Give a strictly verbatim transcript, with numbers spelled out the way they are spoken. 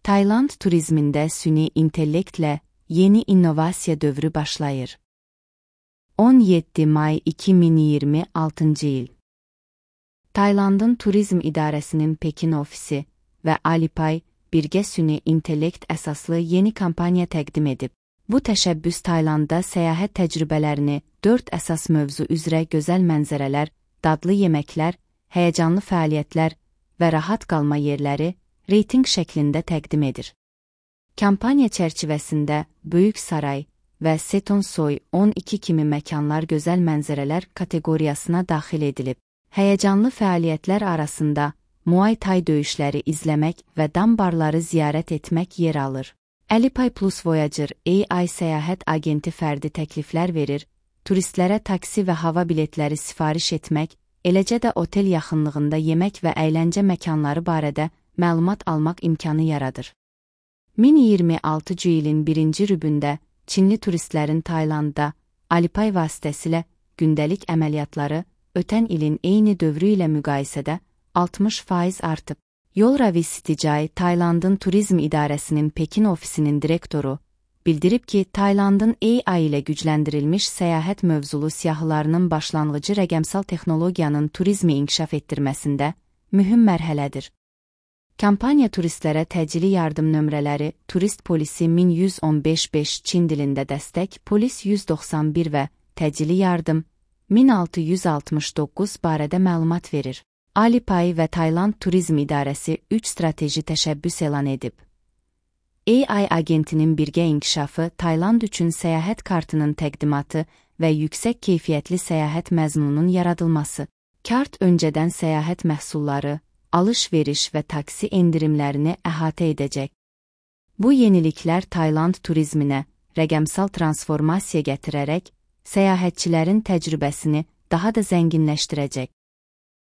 Tayland turizmində süni intellektlə yeni innovasiya dövrü başlayır. on yeddi may iki min iyirmi altıncı il. Taylandın Turizm İdarəsinin Pekin ofisi və Alipay birgə süni intellekt əsaslı yeni kampaniya təqdim edib. Bu təşəbbüs Taylandda səyahət təcrübələrini dörd əsas mövzu üzrə gözəl mənzərələr, dadlı yeməklər, həyəcanlı fəaliyyətlər və rahat qalma yerləri reytinq şəklində təqdim edir. Kampaniya çərçivəsində Böyük Saray və Setonsoy on iki kimi məkanlar gözəl mənzərələr kateqoriyasına daxil edilib. Həyəcanlı fəaliyyətlər arasında Muay Thai döyüşləri izləmək və dam barları ziyarət etmək yer alır. Alipay Plus Voyager A I səyahət agenti fərdi təkliflər verir, turistlərə taksi və hava biletləri sifariş etmək, eləcə də otel yaxınlığında yemək və əyləncə məkanları barədə məlumat almaq imkanı yaradır. min iyirmi altıncı ilin birinci rübündə Çinli turistlərin Taylandda Alipay vasitəsilə gündəlik əməliyyatları ötən ilin eyni dövrü ilə müqayisədə altmış faiz artıb. Yolravi Sitijai, Taylandın Turizm İdarəsinin Pekin ofisinin direktoru, bildirib ki, Taylandın A I ilə gücləndirilmiş səyahət mövzulu siyahılarının başlanğıcı rəqəmsal texnologiyanın turizmi inkişaf etdirməsində mühüm mərhələdir. Kampaniya turistlərə təcili yardım nömrələri Turist Polisi min yüz on beş beş Çin dilində dəstək, Polis yüz doxsan bir və təcili yardım min altı yüz altmış doqquz barədə məlumat verir. Alipay və Tayland Turizm İdarəsi üç strateji təşəbbüs elan edib. A I agentinin birgə inkişafı, Tayland üçün səyahət kartının təqdimatı və yüksək keyfiyyətli səyahət məzmununun yaradılması. Kart öncədən səyahət məhsulları, alış-veriş və taksi endirimlərini əhatə edəcək. Bu yeniliklər Tayland turizminə rəqəmsal transformasiya gətirərək, səyahətçilərin təcrübəsini daha da zənginləşdirəcək.